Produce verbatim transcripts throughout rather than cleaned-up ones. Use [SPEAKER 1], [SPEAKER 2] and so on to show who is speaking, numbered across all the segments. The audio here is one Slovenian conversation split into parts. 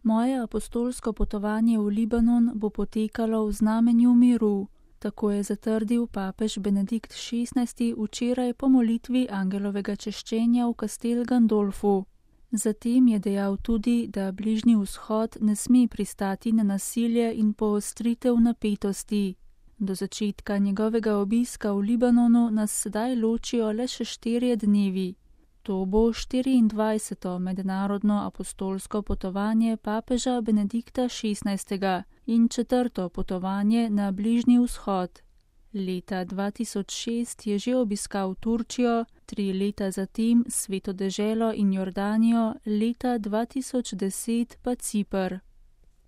[SPEAKER 1] Moje apostolsko potovanje v Libanon bo potekalo v znamenju miru, tako je zatrdil papež Benedikt šestnajsti včeraj po molitvi angelovega češčenja v Castel Gandolfu. Zatem je dejal tudi, da Bližnji vzhod ne sme pristati na nasilje in poostritev napetosti. Do začetka njegovega obiska v Libanonu nas sedaj ločijo le še štirje dnevi. To bo štiriindvajseto mednarodno apostolsko potovanje papeža Benedikta šestnajstega in četrto potovanje na Bližnji vzhod. Leta dva tisoč šest je že obiskal Turčijo, tri leta zatem Sveto deželo in Jordanijo, leta dva tisoč deset pa Ciper.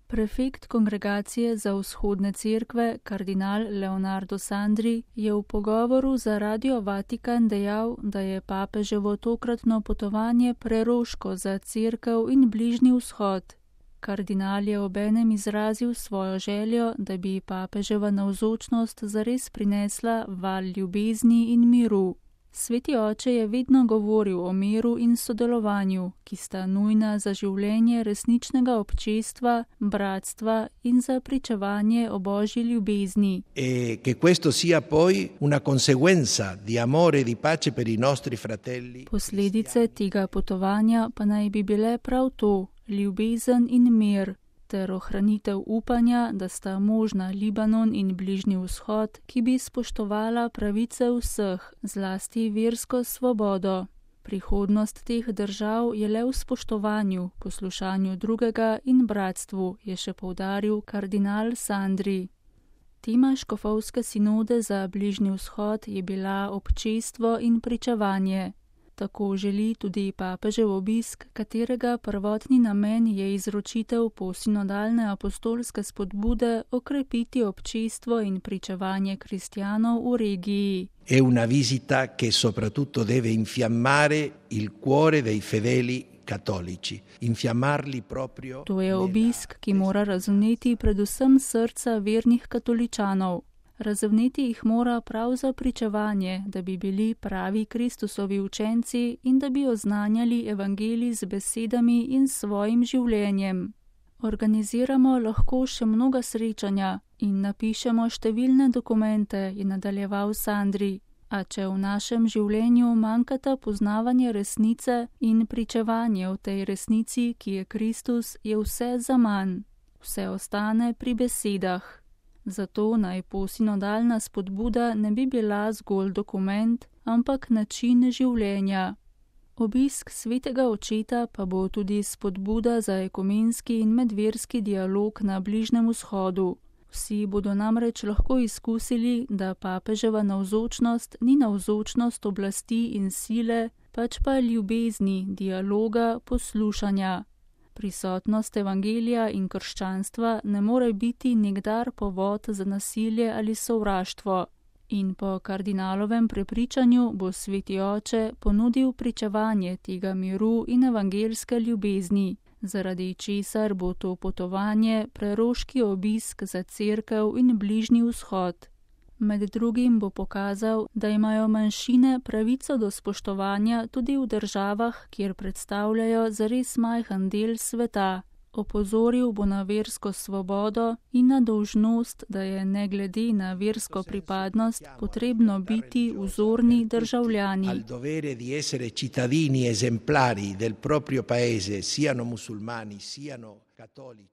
[SPEAKER 1] Prefekt Kongregacije za vzhodne cerkve, kardinal Leonardo Sandri, je v pogovoru za Radio Vatikan dejal, da je papeževo tokratno potovanje preroško za cerkev in Bližnji vzhod. Kardinal je obenem izrazil svojo željo, da bi papeževa navzočnost zares prinesla val ljubezni in miru. Sveti oče je vedno govoril o miru in sodelovanju, ki sta nujna za življenje resničnega občestva, bratstva in za pričevanje o Božji ljubezni.
[SPEAKER 2] E che questo sia poi una conseguenza di amore e di pace per i nostri fratelli.
[SPEAKER 1] Posledice tega potovanja pa naj bi bile prav to, ljubezen in mir, ter ohranitev upanja, da sta možna Libanon in Bližnji vzhod, ki bi spoštovala pravice vseh, zlasti versko svobodo. Prihodnost teh držav je le v spoštovanju, poslušanju drugega in bratstvu, je še poudaril kardinal Sandri. Tema škofovske sinode za Bližnji vzhod je bila občestvo in pričevanje. Tako želi tudi papežev obisk, katerega prvotni namen je izročitev posinodalne apostolske spodbude okrepiti občestvo in pričevanje kristjanov v regiji.
[SPEAKER 2] È una visita che soprattutto deve infiammare il cuore dei fedeli cattolici, infiammarli proprio.
[SPEAKER 1] To je obisk, ki mora razvneti predvsem srca vernih katoličanov. Razvneti jih mora prav za pričevanje, da bi bili pravi Kristusovi učenci in da bi oznanjali evangelij z besedami in svojim življenjem. Organiziramo lahko še mnoga srečanja in napišemo številne dokumente, je nadaljeval Sandri. A če v našem življenju manjkata poznavanje resnice in pričevanje o tej resnici, ki je Kristus, je vse zaman. Vse ostane pri besedah. Zato naj posinodalna spodbuda ne bi bila zgolj dokument, ampak način življenja. Obisk svetega očeta pa bo tudi spodbuda za ekumenski in medverski dialog na Bližnjem vzhodu. Vsi bodo namreč lahko izkusili, da papeževa navzočnost ni navzočnost oblasti in sile, pač pa ljubezni, dialoga, poslušanja. Prisotnost evangelija in krščanstva ne more biti nikdar povod za nasilje ali sovraštvo. In po kardinalovem prepričanju bo sveti oče ponudil pričevanje tega miru in evangelske ljubezni, zaradi česar bo to potovanje preroški obisk za cerkev in Bližnji vzhod. Med drugim bo pokazal, da imajo manjšine pravico do spoštovanja tudi v državah, kjer predstavljajo zares majhen del sveta. Opozoril bo na versko svobodo in na dolžnost, da je ne glede na versko pripadnost potrebno biti vzorni državljani.
[SPEAKER 2] Al dovere di essere cittadini esemplari del proprio paese, siano musulmani, siano cattolici.